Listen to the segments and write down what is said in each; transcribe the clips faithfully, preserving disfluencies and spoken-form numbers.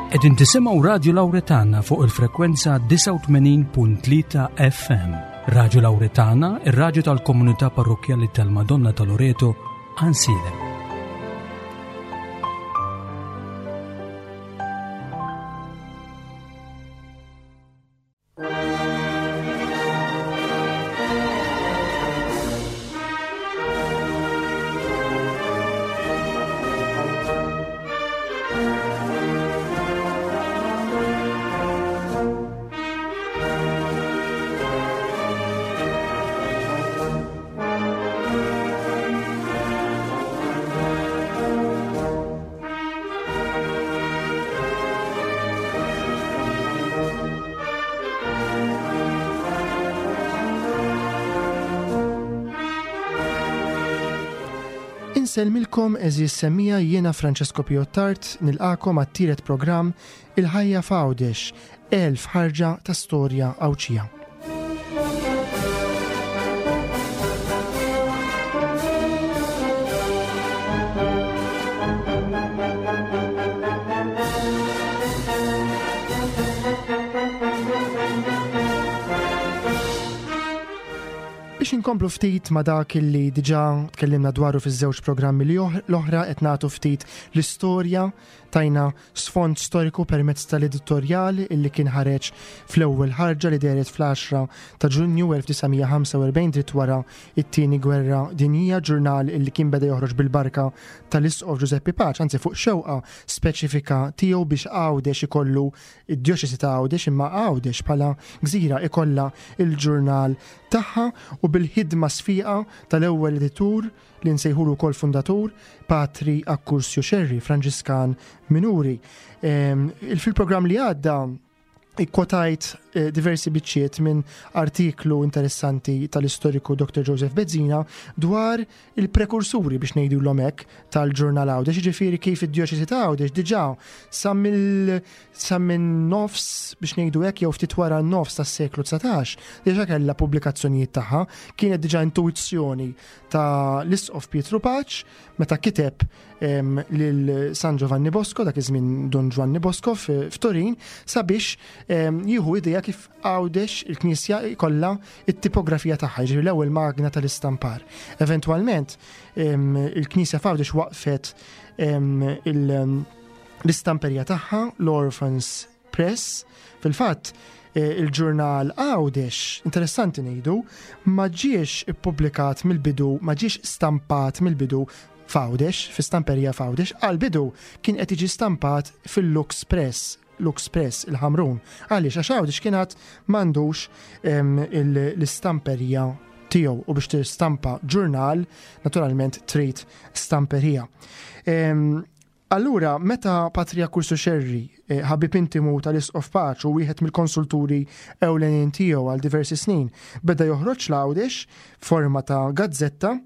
Qegħdin tisimgħu Radio Lauretana fuq il-frekwenza disgħa u tmenin punt tlieta F M. Radio Lauretana, ir-radju tal-komunità parrokkjali tal-Madonna ta' Loreto, Għajnsielem. Insellmilkom, għeżież semmiegħa, jiena Francesco Piottart, nilqagħkom għat-tielet programm Il-ħajja f'Għawdex, elf ħarġa ta' storja Għawdxija. Biex inkomplu ftit ma dak li diġà tkellimna dwaru fiż-żewġ programmi li l-oħra, qed nagħtu ftit l-istorja, tajna sfond storiku permezz tal-editorjal illi kien ħareġ fl-ewwel ħarġa li dehret fl-għaxra ta' Ġunju elf disa' mija ħamsa u erbgħin, dritt wara it-tieni gwerra dinjija, ġurnal illi kien beda joħroġ bil-barka tal-Isqof Giuseppe Pace, anzi fuq xewqa speċifika tiegħu biex Għawdex ikollu, id-djoċesi ta' Għawdex imma Għawdex bħala gżira ikollha il-ġurnal tagħha, u bil-ħidma sfiqa tal-ewwel editur li nsejħulu wkoll fundatur, Patri Akkursju Xerri, Franġiskan Minuri. Fil-programm li għadda ikkwotajt eh, diversi biċċiet minn artiklu interessanti tal-istoriku Doktor Joseph Bezzina dwar il-prekursuri, biex ngħidu l-omek, tal-ġurnal Għawdex, ġifieri kif id-djoċesi ta' Għawdex diġà sa mill sa minn nofs, biex ngħidu hekk, jew ftit wara n-nofs tas-seklu dsatax, diġà kellha pubblikazzjonijiet tagħha. Kienet diġà intuizzjoni ta' l-Isqof Pietru Pace meta kiteb lil San Giovanni Bosco, dak iż-żmien Don Giovanni Bosco f'Turin, sabiex jieħu idea kif Għawdex il-Knisja jkollha it-tipografija tagħha, jiġifieri l-ewwel magna tal-istampar. Eventwalment il-Knisja f'Għawdex waqfet l-istamperija tagħha, l-Orphans Press. Fil-fatt, eh, il-ġurnal Għawdex, interessanti ngħidu, ma ġiex ippubblikat mill-bidu, ma ġiex stampat mill-bidu f'Għawdex, fi stamperija f'Għawdex, għal-bidu kien qed jiġi stampat fil-Lux Press, Lux Press il-Ħamrun. Għaliex? Għax Għawdex kien għad m'għandux l-istamperija tiegħu u biex tistampa ġurnal naturalment trid stamperija. Allura, meta Patri Akkursu Xerri, eh, ħabib intimu tal-Isqof Pace u wieħed mill-konsulturi ewlenin tiegħu għal diversi snin, beda joħroġ l-Għawdex forma ta' gazzetta,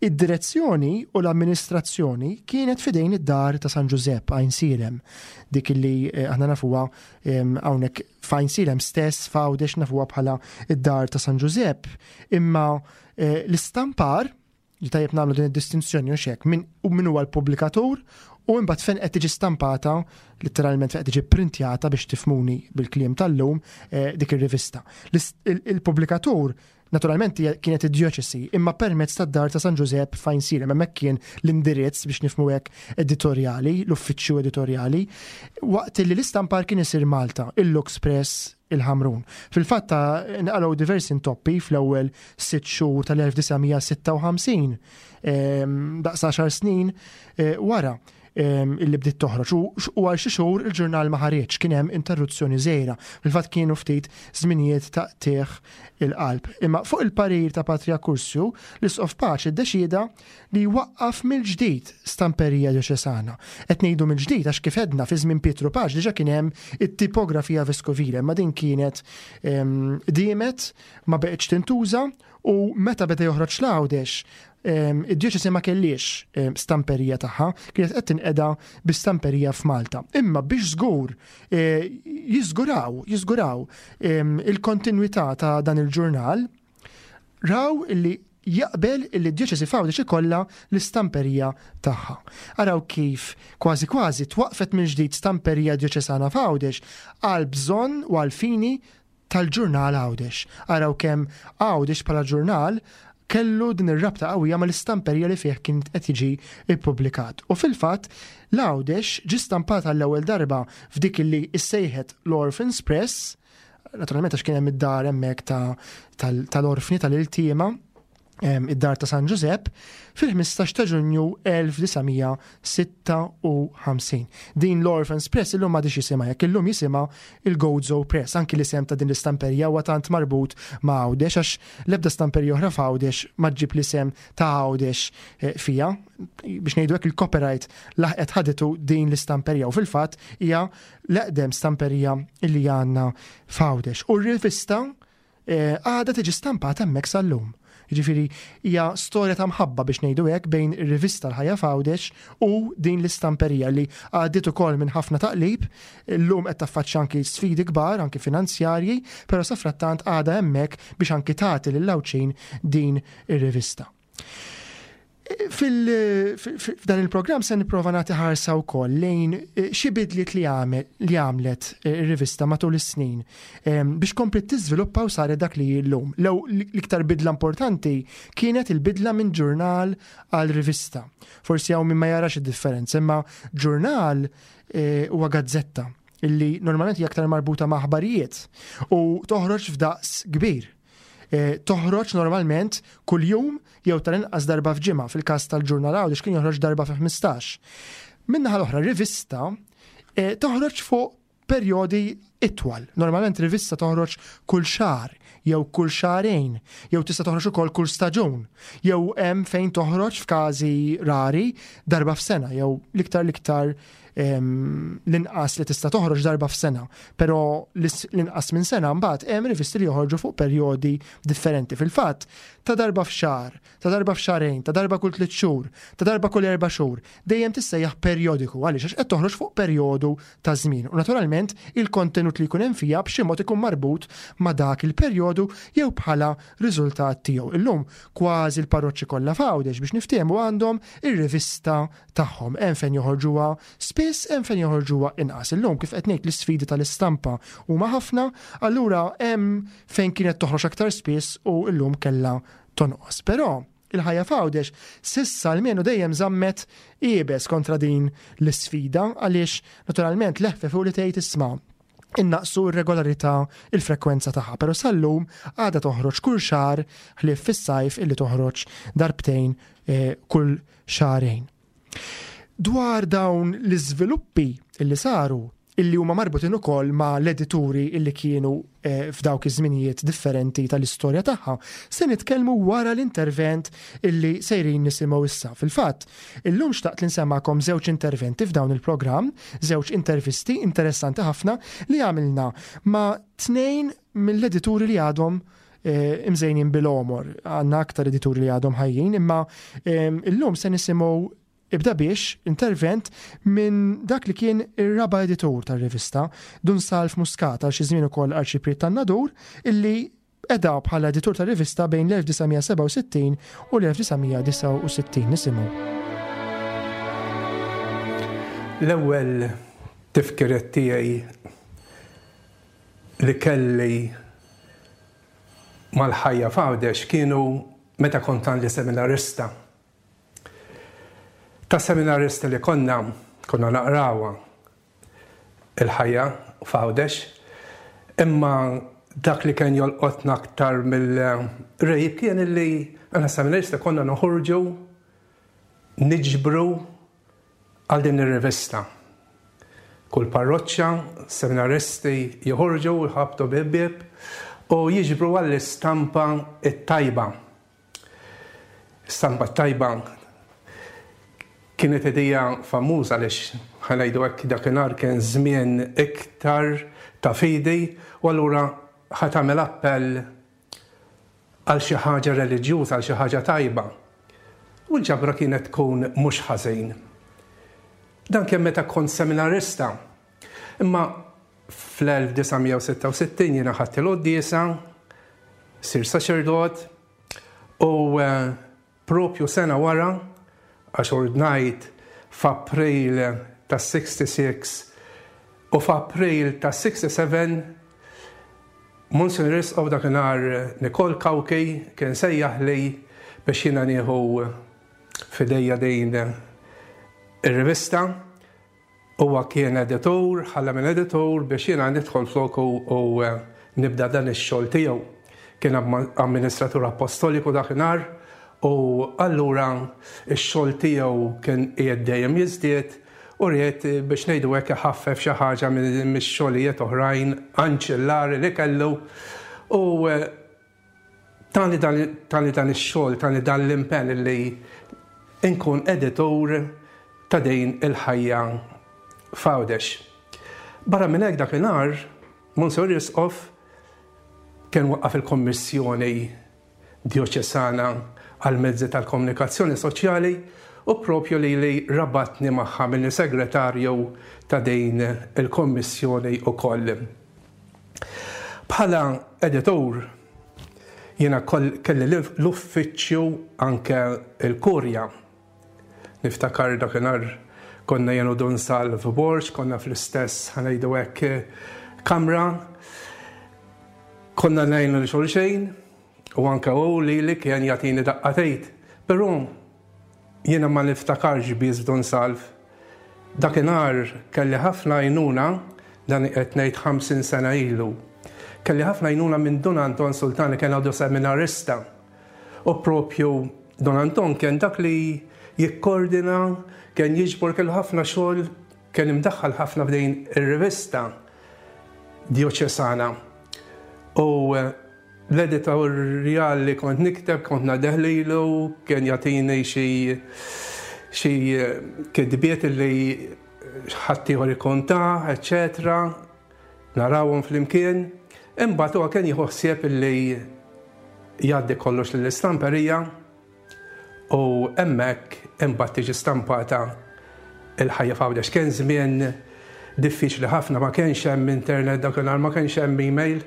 id-direzzjoni u l-amministrazzjoni kienet fidejn id-dar ta' San Giuseppe Għajnsielem, dik li eh, aħna nafuha hawnhekk f'Għajnsielem stess, f'Għawdex nafuha bħala id-dar ta' San Giuseppe, imma eh, l-istampar, li tajjeb nagħmlu din id-distinzjoni u xek, min u min huwa l-pubblikatur u imbagħad fejn qed tiġi stampata, letteralment fejn qed tiġi printjata, biex tifhmuni bil-kliem tal-lum, eh, dik ir-rivista. Il-pubblikatur naturalment kienet id-djoċesi, imma permezz tad-dar ta' San Giuseppe f'Għajnsielem, hemmhekk kien l-indirizz, biex nifhmu hekk, editorjali, l-uffiċċju editorjali, waqt li l-istampar kien isir Malta, il-Lux Press il-Ħamrun. Fil-fatt nqalgħu diversi intoppi fl-ewwel sitt xhur tal-elf disa' mija sitta u ħamsin, daqs għaxar snin eh, wara illi bdiet toħroġ. U għal xi xhur il-ġurnal ma ħareġ, kien hemm interruzzjoni żgħira. Fil-fatt kienu ftit żminijiet ta' qtigħ il-qalb. Imma fuq il-parir ta' Patri Akkursju, l-Isqof Pace ddeċida li jwaqqaf mill-ġdid stamperija djoċesana. Qed ngħidu mill-ġdid għax, kif għedna, fi żmien Pietru Pace diġà kien hemm it-tipografija veskovile, ma din kienet diemet ma beqgħetx tintuża u meta beda joħroġ l-Għawdex, id-djoċesi ma kellix stamperija tagħha, kienet qed tinqeda bi stamperija f'Malta. Imma biex żgur e, jiżguraw, jiżguraw il-kontinwità ta' dan il-ġurnal, raw illi jaqbel illi d-djoċesi f'Għawdex ikollha l-istamperija tagħha. Araw kif kważi kważi twaqfet minn ġdid stamperija djoċesana f'Għawdex għal bżonn u għal fini tal-ġurnal Għawdex. Araw kemm Għawdex bħala ġurnal kellu din ir-rabta qawwija mal-istamperija li fih kien qed jiġi ippubblikat. U fil-fatt l-Għawdex ġie stampat għall-ewwel darba f'dik li issejħet l-Orphans Press, naturalment għax kien hemm id-dar hemmhekk tal-orfni tal-iltiema, id-dar ta' San Ġużepp, fil-ħmistax ta' Ġunju elf disa' mija sitta u ħamsin. Din l-Orphans Press illum m'għadix jisimha hekk, illum jisimha il-Gozo Press. Anki l-isem ta' din l-istamperija huwa tant marbut ma' Għawdex għax l-ebda stamperija oħra f'Għawdex ma ġġib l-isem ta' Għawdex, eh, fija. Biex ngħidu hekk il-copyright laħqet ħaditu din l-istamperija u fil-fatt hija l-eqdem stamperija illi għandna f'Għawdex. U r-rivista, eh, għadha tiġi stampata hemmhekk sal-lum. Jiġifieri hija storja ta' mħabba biex ngħidu hekk bejn ir-rivista l-Ħajja f'Għawdex u din l-istamperija li għaddiet ukoll minn ħafna taqlib, illum qed taffaċċja anki sfidi kbar, anki finanzjarji, però safrattant għadha hemmhekk biex anki tagħti lill-Għawdxin din ir-rivista. Fil-, fil-, f'dan il-programm se nipprova nagħti ħarsa wkoll lejn, eh, xi bidliet li għamel, li għamlet, eh, ir-rivista matul is-snin, ehm, biex komplet tiżviluppa u saret dak li hi llum. Lew l-iktar bidla importanti kienet il-bidla minn ġurnal għal rivista. Forsi hawn min ma jarax id-differenza, imma ġurnal, eh, huwa gazzetta illi normalment hija aktar marbuta ma' aħbarijiet u toħroġ f'daqs kbir. Eh, toħroġ normalment kuljum jew tal-inqas darba f'ġimgħa, fil-każ tal-ġurnal Għawdex kien joħroġ darba fi ħmistax. Min-naħa l-oħra rivista, eh, toħroġ fuq perjodi itwal. Normalment rivista toħroġ kull xahar jew kull xahrejn, jew tista' toħroġ ukoll kull staġun, jew hemm fejn toħroġ f'każi rari darba f'sena, jew l-iktar l-iktar, em, l-inqas li tista' toħroġ darba f'sena, però l-is-, l-inqas minn sena mbagħad hemm rivisti li joħorġu fuq perjodi differenti. Fil-fatt, ta' darba f'xahar, ta' darba f'xahrejn, ta' darba kull tliet xhur, ta' darba kull erba' xhur, dejjem tissejjaħ perjodiku għaliex għax qed toħroġ fuq perjodu ta' żmien. U naturalment il-kontenut li jkun hemm fiha b'xi mod ikun marbut ma' dak il-perjodu jew bħala riżultat tiegħu. Illum kważi l-parroċċi kollha f'Għawdex biex niftehmu għandhom ir-rivista tagħhom. Hemm fejn joħorġuha spiss, hemm fejn joħorġuha inqas. Illum kif qed ngħid l-isfidi tal-istampa huma ħafna, allura hemm fejn kienet toħroġ aktar spiss u llum kellha tonqos. Però il-ħajja f'Għawdex sissa almenu dejjem żammet iebes kontra din l-isfida għaliex naturalment leħfef u li tgħid isma' innaqsu r-regolarità, il-frekwenza tagħha, però sal-lum għadha toħroġ kull xahar ħlief fis-sajf illi toħroġ darbtejn, eh, kull xahrejn. Dwar dawn l-iżviluppi illi saru, illi huma marbutin ukoll ma' l-edituri illi kienu, eh, f'dawk iż-żminijiet differenti tal-istorja tagħha, se nitkellmu wara l-intervent illi sejrin nisimgħu issa. Fil-fatt, illum xtaqt li nsemmakom żewġ interventi f'dawn il-programm, żewġ intervisti interessanti ħafna li għamilna ma' tnejn mill-edituri li għadhom, eh, imżejnin bil-għomor. Għandna aktar edituri li għadhom ħajjin, imma, ehm, illum se nisimgħu ibda biex intervent minn dak li kien ir-raba' editur tar-rivista, Dun Salv Muscat, għal xi żmien ukoll arċipriet tan-Nadur, illi qeda bħala editur tar-rivista bejn l-elf disa' mija sebgħa u sittin u l-elf disa' mija disgħa u sittin. Nisimgħu. L-ewwel tifkiriet tiegħi li kelli mal-ħajja f'Għawdex kienu meta kont għandi seminarista. Ta' seminarista li konna, konna naqrawha il-ħajja f'Għawdex, imma dak li kien jolqotna aktar mill-rejb kien illi għana seminarista konna noħorġu niġbru għal din ir-rivista. Kull parroċċa, seminaristi joħorġu, jħabtu bieb u jiġbru għall-istampa t-tajba. Stampa t-tajba kienet idea famuża għaliex ħanajdu hekk dakinhar kien żmien iktar ta' fidi u allura ħa tagħmel appell għal xi ħaġa reliġjuża, għal xi ħaġa tajba. U l-ġabra kienet tkun mhux ħażin. Dan kien meta kont seminarista. Imma fl-elf disa' mija u sitta u sittin jiena ħadt il-quddiesa, sir saċerdot, U eh, propju sena wara, għax ordnajt f'April ta' sitta u sittin u f'April ta' sitta u sebgħin Monsinjur Isqof dakinhar Nikol Cauchi kien sejjaħ li biex jiena nieħu f'idejja din ir-rivista. Huwa kien editur, ħalla minn editur biex jiena nidħol floku u nibda dan ix-xogħol tiegħu. Kien amministratur apostoliku dakinhar u allura ix-xogħol tiegħu kien qiegħed dejjem jiżdied u ried biex ngħidu hekk iħaffef xi ħaġa mix-xogħlijiet oħrajn anċillari li kellu u eh, tani dan ix-xogħol, tani dan l-impenn li nkun editur ta' din Il-Ħajja f'Għawdex. Barra minn hekk, dakinhar Monsinjur Isqof kien waqqaf il-Kommissjoni Dioċesana għal mezzi tal-komunikazzjoni soċjali u propju li li rabatni magħha minni segretarju ta' din il-kommissjoni u koll. Bħala editur, jiena kelli l-uffiċċju anke il-kurja. Niftakar dakinhar konna jien u Dun Salv Borg, konna fl-istess, ħa ngħidu hekk, kamra, konna ngħinu lil xulxin u anke u li li kien jagħtini daqqa t'id. Però jiena ma niftakarx biss Dun Salv. Dakinhar kelli ħafna għajnuna, dan qed ngħid ħamsin sena ilu. Kelli ħafna għajnuna minn Dun Anton Sultani, kien għadu seminarista. U propju Dun Anton kien dak li jikkordina, kien jiġbor, kellu ħafna xogħol, kien imdaħħal ħafna f'din ir-rivista dioċesana. U eh, l-editorial li kont nikteb, kont ngħaddih lilu, kien jagħtini xi xi eh, kitbiet li ħaddieħor ikun ta, eccetera. Narawhom flimkien. Imbagħad huwa kien jieħu ħsieb li jgħaddi kollox lill-istamperija u hemmhekk imbagħad tiġi stampata Il-Ħajja f'Għawdex. Kien żmien diffiċli ħafna, ma kienx hemm internet dakinhar, ma kienx hemm email.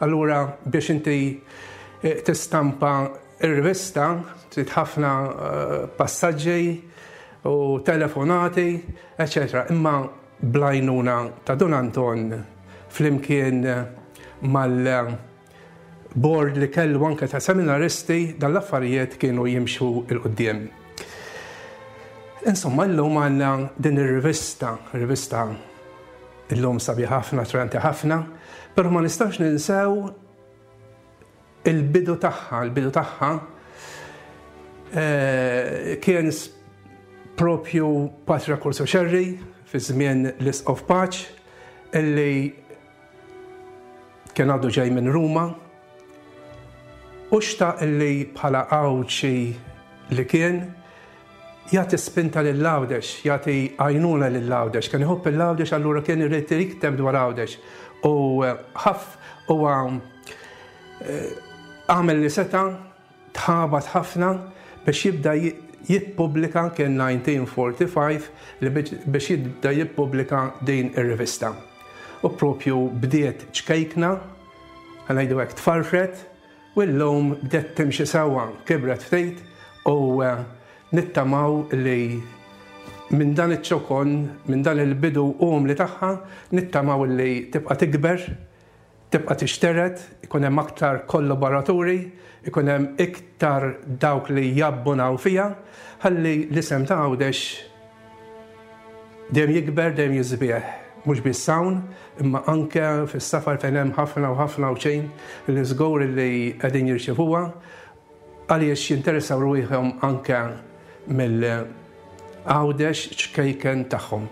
Allura biex inti eh, tistampa ir-rivista trid ħafna eh, passaġġi u telefonati, eccetera. Imma bl-għajnuna ta' Dun Anton flimkien mal-board li kellu anke ta' seminaristi, dan l-affarijiet kienu jimxu 'l quddiem. Insomma, illum għandna din ir-rivista, rivista illum sabiħa ħafna, attraenti ħafna, però ma nistax ninsew il-bidu tagħha, il-bidu tagħha eh, kien propju Patri Accursio Xerri fi żmien l-Isqof Pace illi kien għadu ġej minn Ruma u xtaq illi bħala Għawdxi li kien jagħti spinta lil Għawdex, jagħti għajnuna lil Għawdex, kien iħobb lil Għawdex, allura kien irid jikteb dwar Għawdex. U eh, ħaf huwa eh, għamel li seta', tħabat ħafna biex jibda jippubblika, kien elf disa' mija u erbgħa u erbgħin li biex jibda jippubblika din ir-rivista. U propju bdiet ċkejkna, ħa ngħidu hekk, tfarfret, u llum bdiet timxi sewwa, kibret ftit u eh, nittamaw li minn dan iċ-ċokon, minn dan il-bidu umli tagħha, nittamaw li tibqa' tikber, tibqa' tixteret, ikun hemm aktar kollaboraturi, ikun hemm iktar dawk li jabbunaw fiha, ħalli l-isem ta' Għawdex dejjem jikber, dejjem jisbieħ. Mhux biss hawn, imma anke fis-safar fejn hemm ħafna u ħafna Għawdxin li żgur li qegħdin jirċevuha għaliex jinteressaw ruħhom anke mill-Għawdex ċkejken tagħhom.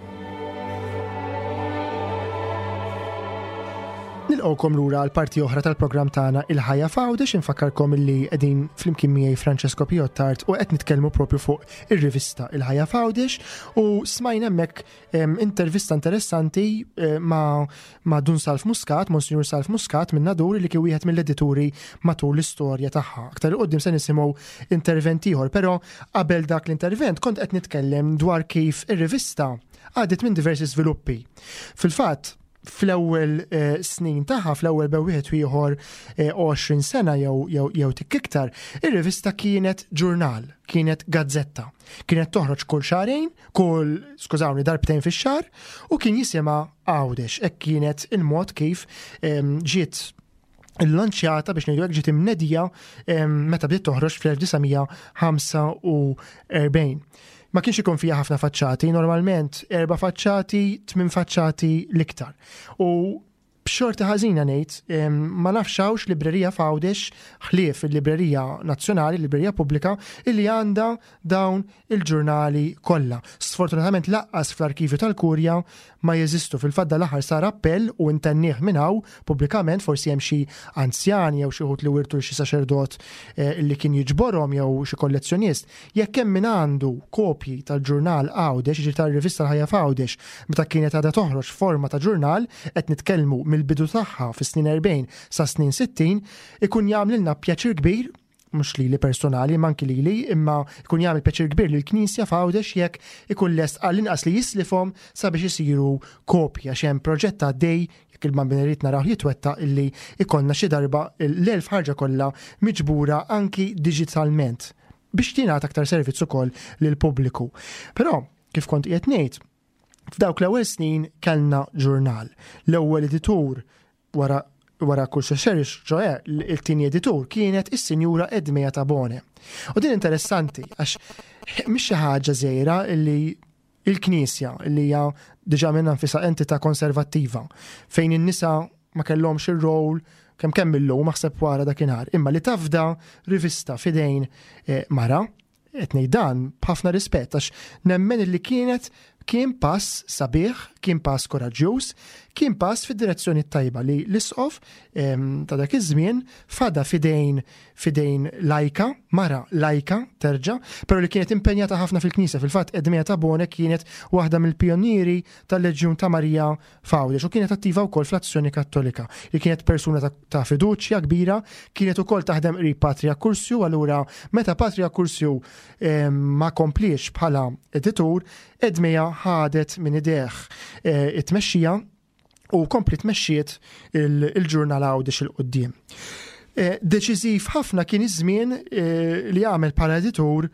Nilqgħukom lura għal parti oħra tal-programm tagħna Il-Ħajja f'Għawdex. Infakkarkom illi qegħdin flimkien miegħi Francesco Piottart u qed nitkellmu propju fuq ir-rivista Il-Ħajja f'Għawdex u smajna hemmhekk intervista interessanti eh, ma' ma' Dun Salv Muscat, Monsignor Salv Muscat minn Nadur, li kien wieħed mill-edituri matul l-istorja tagħha. Aktar 'il quddiem se nisimgħu intervent ieħor, però qabel dak l-intervent kont qed nitkellem dwar kif ir-rivista għaddiet minn diversi sviluppi. Fil-fatt, Fl-ewwel eh, snin tagħha, fl-ewwel bejn wieħed u ieħor eh, għoxrin sena jew jew jew tik iktar, ir-rivista kienet ġurnal, kienet gazzetta. Kienet toħroġ kull xahrejn, kull, skużawni, darbtejn fix-xahar, u kien jisimha Għawdex. Hekk kienet il-mod kif em, ġiet il-lanċjata, biex ngħidu hekk, ġiet imnedija em, meta bdiet toħroġ fl-elf disa' mija ħamsa u erbgħin. Ma kienx ikun fiha ħafna faċċati, normalment erba' faċċati, tmien faċċati l-iktar. U b'xorti ħażina ngħid, em, ma nafx hawnx librerija f'Għawdex ħlief il-Librerija Nazzjonali, il-Librerija Pubblika, illi għandha dawn il-ġurnali kollha. Sfortunatament lanqas fl-arkivju tal-Kurja ma jeżistu. Fil-fatt l-aħħar sar appell u intennih minn hawn pubblikament, forsi hemm xi anzjani jew xi wħud li wirtu xi saċerdot eh, li kien jiġborhom jew xi kollezzjonist. Jekk hemm min għandu kopji tal-ġurnal Għawdex, jiġifieri tal-rivista L-Ħajja f'Għawdex, meta kienet għadha toħroġ forma ta' ġurnal, qed nitkellmu mill-bidu tagħha fis-snin erbgħin sa snin sittin, ikun jagħmlilna pjaċir kbir, mhux lili personali, ma anki lili, imma ikun jagħmel pjaċir kbir lill-Knisja f'Għawdex jekk ikun lest għall-inqas li jislifhom sabiex isiru kopja, għax hemm proġett għaddej, jekk il-Bambin irid naraw jitwettaq, illi ikollna xi darba l-elf ħarġa kollha miġbura anki digitalment biex tingħata aktar servizz ukoll lill-pubbliku. Però, kif kont qiegħed ngħid, f'dawk l-ewwel snin kellna ġurnal. L-ewwel editur wara wara Cursio Scerri, ċoè il-tieni editur, kienet is-Sinjura Edmea Tabone. U din interessanti għax mhix xi ħaġa żgħira illi il-Knisja, li hija diġà minnha nfisha entità konservattiva fejn in-nisa ma kellhomx ir-rol kemm kemm illum, aħseb wara dakinhar, imma li tafda rivista fidejn eh, mara, qed ngħid dan b'ħafna rispett għax nemmen li kienet kien pass sabiħ, kien pass koraġġjuż, kien pass fid-direzzjoni tajba li l-isqof em, ta' dak iż-żmien fada fidejn fidejn lajka, mara lajka terġa', però li kienet impenjata ħafna fil-Knisja. Fil-fatt Edmea Tabone kienet waħda mill-pionieri tal-Leġjun ta' Marija f'Għawdex u kienet attiva wkoll fl-Azzjoni Kattolika. Li kienet persuna ta', ta' fiduċja kbira, kienet ukoll taħdem qrib Patri Accursio, allura meta Patri Accursio em, ma kompliex bħala editur, Edmea ħadet minn idejh eh, it-tmexxija u kompli tmexxiet il- il-ġurnal Għawdex 'il quddiem. Eh, Deċiżiv ħafna kien iż-żmien eh, li għamel bħala editur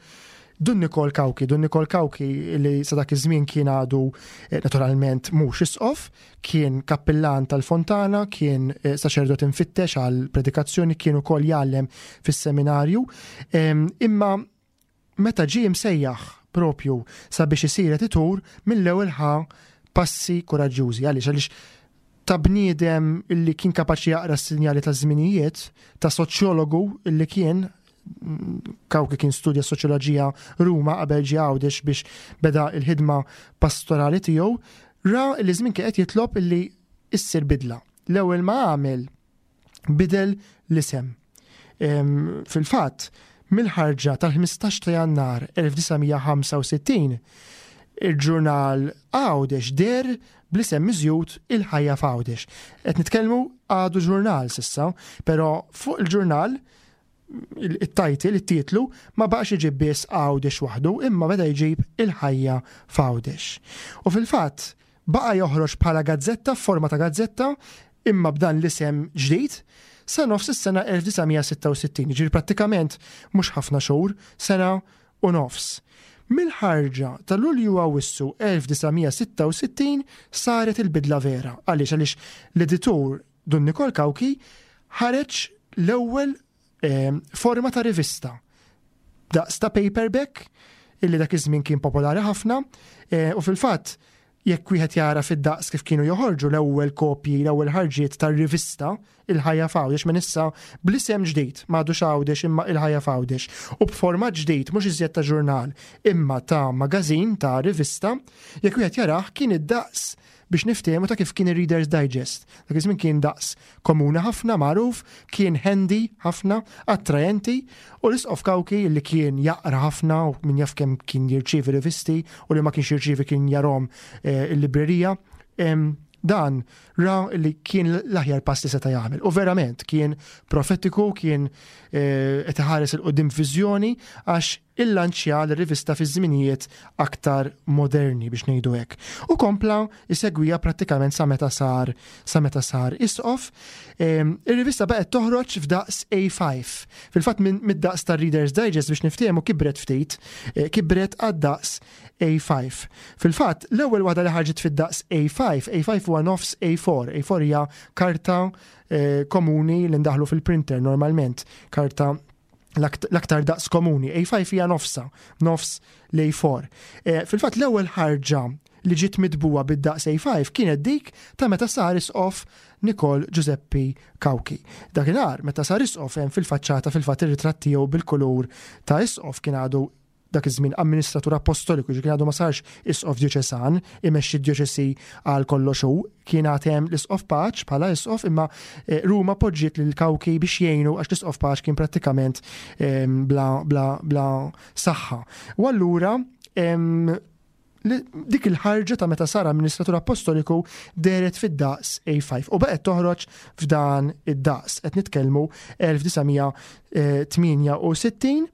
Dun Nikol Cauchi. Dun Nikol Cauchi li sa dak iż-żmien kien għadu eh, naturalment mhux isqof, kien kappillan tal-Fontana, kien eh, saċerdot infittex għal predikazzjoni, kien ukoll jgħallem fis-seminarju. Em, Imma meta ġie msejjaħ propju sabiex isir editur, mill-ewwel ħa passi koraġġjużi. Għaliex? Għaliex ta' bniedem illi kien kapaċi jaqra s-sinjali ta' żminijiet, ta' soċjologu illi kien, Cauchi kien studja soċjoloġija Ruma qabel ġie Għawdex biex beda il-ħidma pastorali tiegħu, ra li żmien kien qed jitlob illi issir bidla. L-ewwel ma għamel, bidel l-isem. Em, Fil-fatt, mill-ħarġa tal-ħmistax ta' Jannar elf disa' mija ħamsa u sittin, il-ġurnal Għawdex deher bl-isem miżjud Il-Ħajja f'Għawdex. Qed nitkellmu għadu ġurnal s'issa, però fuq il-ġurnal il-title, il-titlu, ma baqax iġib biss Għawdex waħdu, imma beda jġib Il-Ħajja f'Għawdex. U fil-fatt, baqa joħroġ bħala gazzetta, forma ta' gazzetta, imma b'dan l-isem ġdid, sa nofs is-sena elf disa' mija sitta u sittin, ġifieri prattikament mhux ħafna xhur, sena u nofs. Mill-ħarġa ta' Lulju Awissu elf disa' mija sitta u sittin saret il-bidla vera. Għaliex? Għaliex l-editur Dun Nikol Cauchi ħareġ l-ewwel eh, forma ta' rivista daqs ta' paperback illi dak iż-żmien kien popolari ħafna eh, u fil-fatt jekk wieħed jara fid-daqs kif kienu joħorġu l-ewwel kopji, l-ewwel ħarġiet tar-rivista Il-Ħajja f'Għawdex, minn issa bl-isem ġdid, m'għadux Għawdex imma Il-Ħajja f'Għawdex, u b'format ġdid, mhux iżjed ta' ġurnal imma ta' magazin, ta' rivista, jekk wieħed jarah kien id-daqs, biex niftehmu, ta' kif kien ir-Reader's Digest. Dak iż-żmien kien daqs komuni ħafna, magħruf, kien handy ħafna, attrajenti, u l-Isqof Cauchi, li kien jaqra ħafna u min jaf kemm kien jirċievi rivisti u li ma kienx jirċievi kien jarahom eh, il-librerija, em, dan ra li kien l-aħjar pass li seta' jagħmel. U verament kien profetiku, kien eh, qed iħares 'il quddiem viżjoni għax illanċja l-rivista fi żminijiet aktar moderni biex ngħidu hekk. U kompla jsegwiha prattikament sa meta sar sa meta sar isqof. Ir-rivista baqgħet toħroġ f'daqs A five. Fil-fatt mid-daqs tar-Reader's Digest, biex niftehmu, kibret ftit, eh, kibret għad-daqs A five. Fil-fatt l-ewwel waħda li ħarġet fid-daqs A five, A five huwa nofs A four. A four hija karta eh, komuni li ndaħlu fil-printer normalment, karta l-aktar daqs komuni. A five hija nofsa, nofs l-A four. Eh, fil-fatt l-ewwel ħarġa li ġiet mitbugħa bid-daqs A five kienet dik ta' meta sar isqof Nikol Giuseppe Cauchi. Dakinhar meta sar isqof, hemm fil-faċċata fil-fatt ir-ritratt tiegħu bil-kulur ta' isqof. Kien għadu dak iż-żmien amministratur apostoliku, kien għadu ma sarx isqof djoċesan, imexxi djoċesi għal kollox hu, kien għad hemm l-isqof Pace bħala isqof, imma eh, Ruma poġġiet lil Cauchi biex jgħinu għax l-isqof Pace kien prattikament bla, bla, bla saħħa. U allura dik il-ħarġa ta' meta sar amministratur apostoliku dehret fid-daqs A five u baqgħet toħroġ f'dan id-daqs. Qed nitkellmu elf disa' mija tmienja u sittin.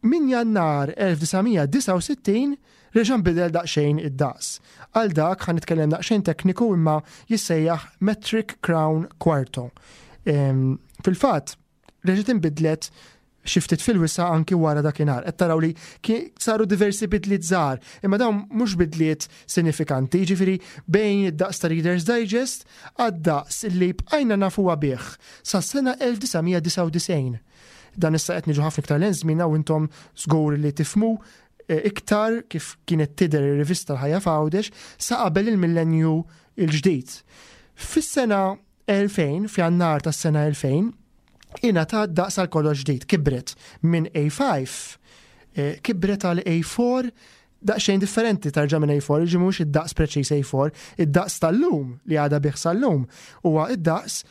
Min Jannar elf disa' mija disgħa u sittin reġa' nbidel daqsxejn id-daqs. Għal dak ħa nitkellem daqsxejn tekniku, imma jissejjaħ Metric Crown Quarto. Fil-fatt, reġgħet inbidlet xi ftit fil-wisa' anki wara dakinhar. Qed taraw li saru diversi bidliet żgħar, imma dawn mhux bidliet sinifikanti, jiġifieri bejn id-daqs ta' Reader's Digest għad-daqs li bqajna nafuha bih sa' sena elf disa' mija disgħa u disgħin. Dan issa qed niġu ħafna iktar lejn żmienna u intom żgur li tifhmu eh, iktar kif kienet tidher ir-rivista L-Ħajja f'Għawdex sa qabel il-millenju il-ġdid. Fis-sena elfejn, f'Jannar tas-sena elfejn, ingħata daqs għal kollox ġdid, kibret minn A five, eh, kibret għal A four, daqsxejn differenti tarġa minn A four, ġi mhux id-daqs preċiż A four, id-daqs tal-lum li għada bih sal-lum huwa id-daqs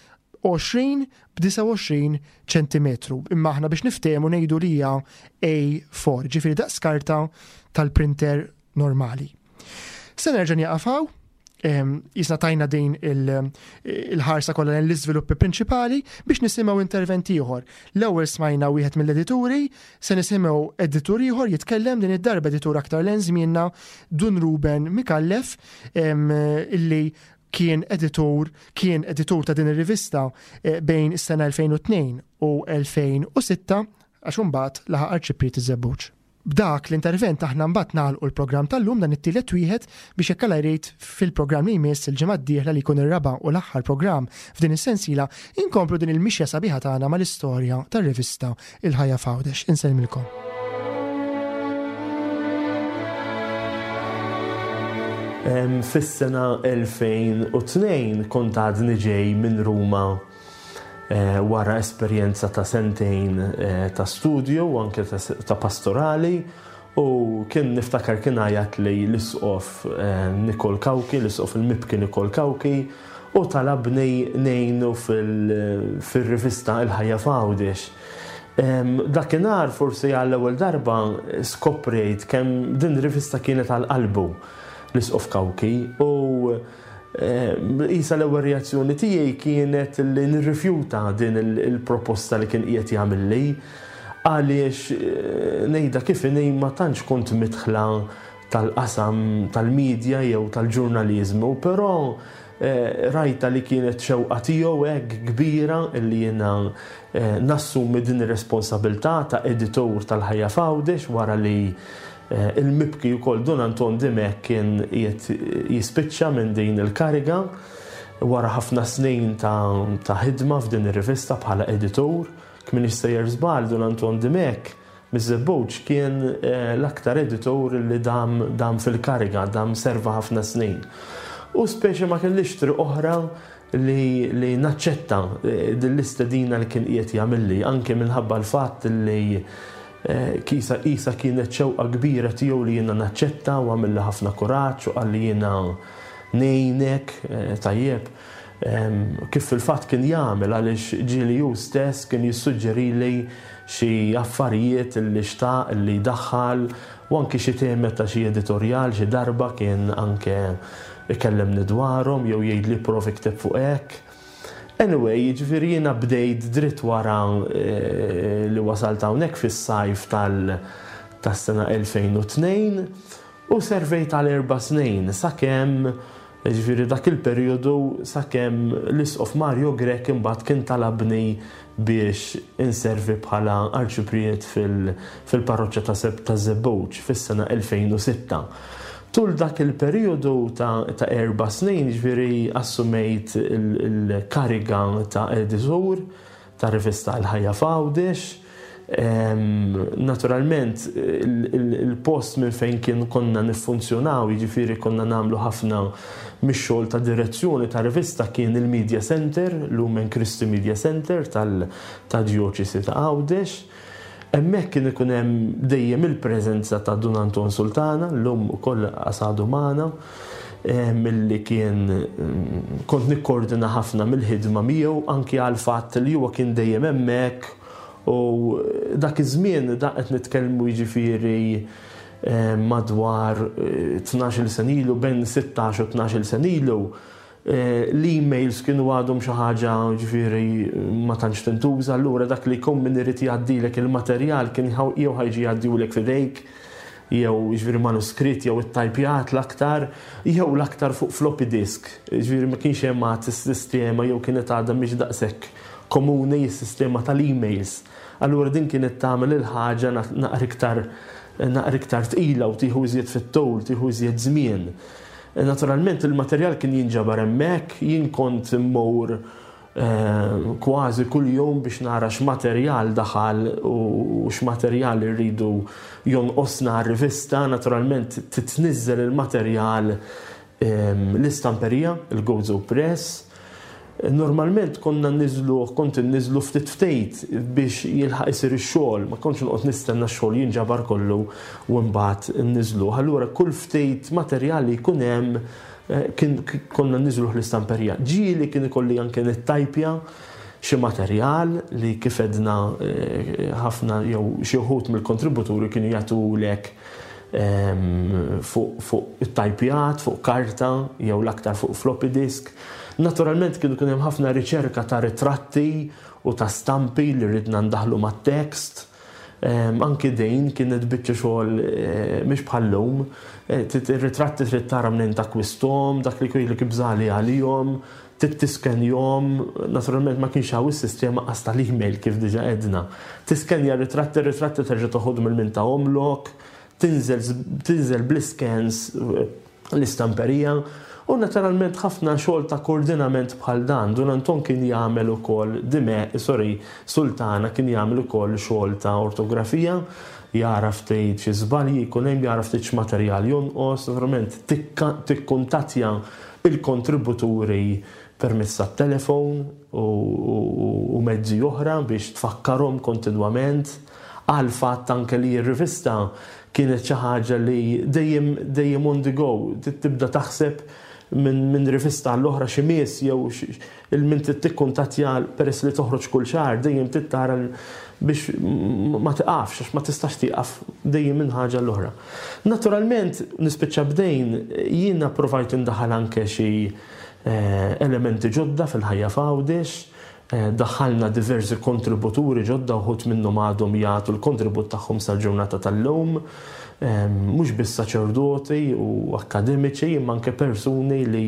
għoxrin b'disgħa u għoxrin ċentimetru. Imma aħna biex niftehmu ngħidu li hija A four, ġifieri daqs karta tal-printer normali. Se nerġa' nieqaf hawn, jisna tajna din il-ħarsa kollha l-iżviluppi prinċipali biex nisimgħu intervent ieħor. L-ewwel smajna wieħed mill-edituri, se nisimgħu editur ieħor jitkellem, din id-darba editur aktar lejn żmienna, Dun Ruben Mikallef, illi kien editur kien editur ta' din ir-rivista eh, bejn is-sena elfejn u tnejn u elfejn u sitta, għax imbagħad laħaq arċipriet iż-Żebbuġ. B'dak l-intervent aħna mbagħad nagħlqu l-programm tal-lum, dan it-tielet wieħed, biex jekk Alla jrid fil-programm li jmiss il-ġimgħa d-dieħla, li jkun ir-raba' u l-aħħar programm f'din is-sensiela, inkomplu din il-mixja sabiħa tagħna mal-istorja tar-rivista Il-Ħajja f'Għawdex. Insellmilkom. Fis-sena elfejn u tnejn kont għadni ġej minn Ruma eh, wara esperjenza ta' sentejn eh, ta' studju u anke ta' pastorali u kien niftakar kien għajat li l-isqof eh, Nikol Cauchi, l-isqof il-mibki Nikol Cauchi, u talabni ngħinu fil-rivista Il-Ħajja f'Għawdex. Dakinhar forsi għall-ewwel darba skoprejt kemm din rivista kienet għal qalbu l-isqof Cauchi u qisha l-ewwel reazzjoni tiegħi kienet li nirrifjuta din il-proposta li kien qiegħed jagħmilli, għaliex eh, ngħidha kif inhi, ma tantx kont midħla tal-qasam tal-medja jew tal-ġurnaliżmu, però eh, rajta li kienet xewqa tiegħu hekk kbira illi jiena eh, nassumi din ir-responsabilità ta' editur tal-Ħajja f'Għawdex wara li Eh, il-mibki wkoll Dun Anton Dimech kien jispiċċa minn din il-kariga wara ħafna snin ta' ħidma f'din ir-rivista bħala editur. Kmin sejjer żball, Dun Anton Dimech miż-Żebbuġ kien eh, l-aktar editur li dam, dam fil-kariga, dam serva ħafna snin. U speċi ma kellix triq oħra li, li naċċetta eh, din l-istedina li kien qiegħed jagħmilli, anke minħabba l-fatt li Eh, kisa isa kienet xewqa kbira tiegħu li jiena naċċetta, u għamilli ħafna kuraġġ u qalli jiena ngħinek eh, tajjeb. Kif fil-fatt kien jagħmel, għaliex ġieli hu stess kien jissuġġerili xi affarijiet li xtaq li daħħal u anki xi temi ta' xi editorjal, xi darba kien anke ikellemni dwarhom jew jgħidli prova ikteb fuq hekk. Anyway, jiġifieri jiena bdejt dritt wara eh, li wasalt hawnhekk fis-sajf tal- tas-sena elfejn u tnejn u servejt għal erba' snin sakemm, ġifieri dak il-perjodu sakemm l-Isqof Mario Grech imbagħad kien talabni biex inservi bħala arċipriet fil-parroċċa ta' Seb ta' Żebbuġ fis-sena elfejn u sitta. Tul dak il-perjodu ta', ta erba' snin, ġifieri assumejt il-kariga ta' editur ta' rivista Il-Ħajja f'Għawdex. Naturalment, il-post minn fejn kien konna niffunzjonaw, jiġifieri konna nagħmlu ħafna mix-xogħol ta' direzzjoni ta' rivista, kien il-Media Center, Lumen Christi Media Center tal-Djoċesi ta' Għawdex. Hemmhekk kien ikun hemm dejjem il-preżenza ta' Dun Anton Sultana, llum ukoll għadu magħna, milli kien kont nikkoordina ħafna mill-ħidma miegħu, anki għal fatt li huwa kien dejjem hemmhekk. U dak iż-żmien, dak qed nitkellmu jiġifieri madwar tnax-il sena ilu, bejn sittax u tnax-il sena ilu, l-emails kienu għadhom xi ħaġa ġifieri ma tantx tintuża, allura dak li jkun min irid jgħaddilek il-materjal kien jew ħa jiġi jgħaddihulek f'idejk, jew ġifieri manuskritt jew it-tajpjat l-aktar, jew l-aktar fuq floppy disk. Ġifieri ma kienx hemm għad is-sistema, jew kienet għadha mhix daqshekk komuni s-sistema tal-emails. Allura din kienet tagħmel il-ħaġa naqra iktar naqra iktar tqila u tieħu iżjed fit-tul, tieħu iżjed żmien. Naturalment il-materjal kien jinġabar hemmhekk, jien kont immur kważi kull jum biex nara x'materjal daħal u x'materjal irridu jonqosna r-rivista. Naturalment titniżżel il-materjal l-istamperija, il-Gozo Press. Normalment konna niżlu, kont niżlu ftit ftit biex jilħaq isir ix-xogħol, ma kontx noqgħod nistenna x-xogħol jinġabar kollu u mbagħad niżlu. Allura kull ftit materjali jkun hemm kien konna niżlu l-istamperija. Ġieli kien ikolli anke nittajpja xi materjal li kif edna ħafna jew xi wħud mill-kontributuri kienu jagħtulek fuq fuq it-tajpjat, fuq karta jew l-aktar fuq floppy disk. Naturalment kienu kien hemm ħafna riċerka ta' ritratti u ta' stampi li ridna ndaħlu mat-tekst. Anki dejn kienet biċċa xogħol mhix bħal-lum. Ir-ritratti trid tara minn takkwisthom, dak li jkollok ibżali għalihom, tiskenjahom, naturalment ma kienx hawn is-sistema qas tal-email kif diġà għedna. Tiskenja ritratti, ritratti terġa' toħodhom il min tahomlok, tinżel tinżel bl-scans l-istamperija. U naturalment ħafna xogħol ta' koordinament bħal dan. Dun Anton kien jagħmel ukoll, dime, sorry, Sultana kien jagħmel ukoll xogħol ta' ortografija, jara ftit xi żbalji jkun hemm, jara ftit x'materjal jonqos, naturalment tikkuntattja il-kontributuri permezz tat-telefon u mezzi oħra biex tfakkarhom kontinwament għal fatt anke li r-rivista kienet xi ħaġa li dejjem dejjem on the go, tibda taħseb minn min rivista għall-oħra xi miss jew il-min tikkuntattja peress li toħroġ kull xahar, dejjem tittara biex ma tiqafx, għax ma tistax tieqaf dejjem minn ħaġa l-oħra. Naturalment nispiċċa bdejn jiena provajt indaħal anke xi elementi ġodda fil-Ħajja f'Għawdex, daħħalna diversi kontributuri ġodda, uħud minnhom għadhom jagħtu l-kontribut tagħhom sal-ġurnata tal-lum, mhux biss saċerdoti u akademiċi, imma anke persuni li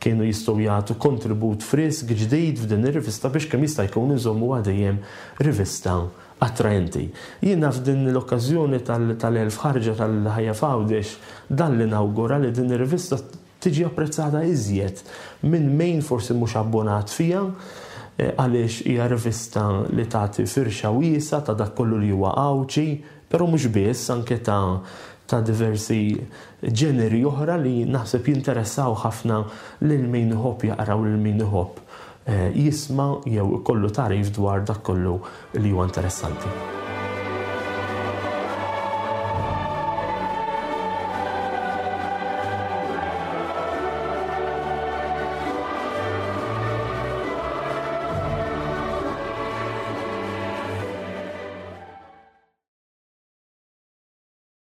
kienu jistgħu jagħtu kontribut frisk ġdid f'din ir-rivista biex kemm jista' jkun inżommu dejjem rivista attraenti. Jiena f'din l-okkażjoni tal-elf ħarġa tal-Ħajja f'Għawdex dan li nawgura li din ir-rivista tiġi apprezzata iżjed minn min forsi mhux abbonat fija, għaliex hija rivista li tagħti firxa wiesa ta' dak kollu li huwa Għawdxi, però mhux biss, anke ta' ta' diversi ġeneri oħra li naħseb jinteressaw ħafna lil min iħobb jaqra u lil min iħobb jisma' jew ikollu tagħrif dwar dak kollu li huwa interessanti.